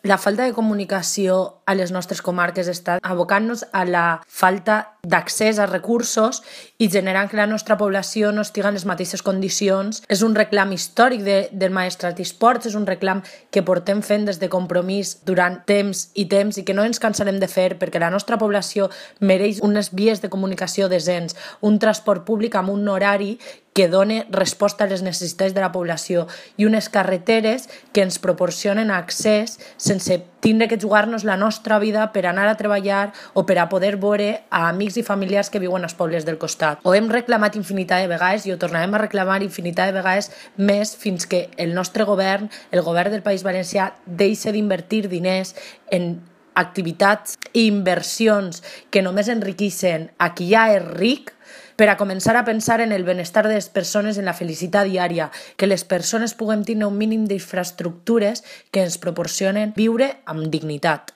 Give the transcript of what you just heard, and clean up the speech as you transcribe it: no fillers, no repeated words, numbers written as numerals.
La falta de comunicació a les nostres comarques està abocant-nos a la falta d'accés a recursos i generant que la nostra població no estigui en les mateixes condicions. És un reclam històric del Maestrat i Esports, és un reclam que portem fent des de Compromís durant temps i que no ens cansarem de fer, perquè la nostra població mereix unes vies de comunicació decents, un transport públic amb un horari que doni resposta a les necessitats de la població i unes carreteres que ens proporcionen accés sense tindre que jugar-nos la nostra vida per anar a treballar o per a poder veure a amics i familiars que viuen als pobles del costat. Ho hem reclamat infinitat de vegades i ho tornarem a reclamar infinitat de vegades més fins que el nostre govern, el govern del País Valencià, deixi d'invertir diners en activitats i inversions que només enriqueixen a qui ja és ric, per a començar a pensar en el benestar de les persones, en la felicitat diària, que les persones puguem tenir un mínim d'infraestructures que ens proporcionen viure amb dignitat.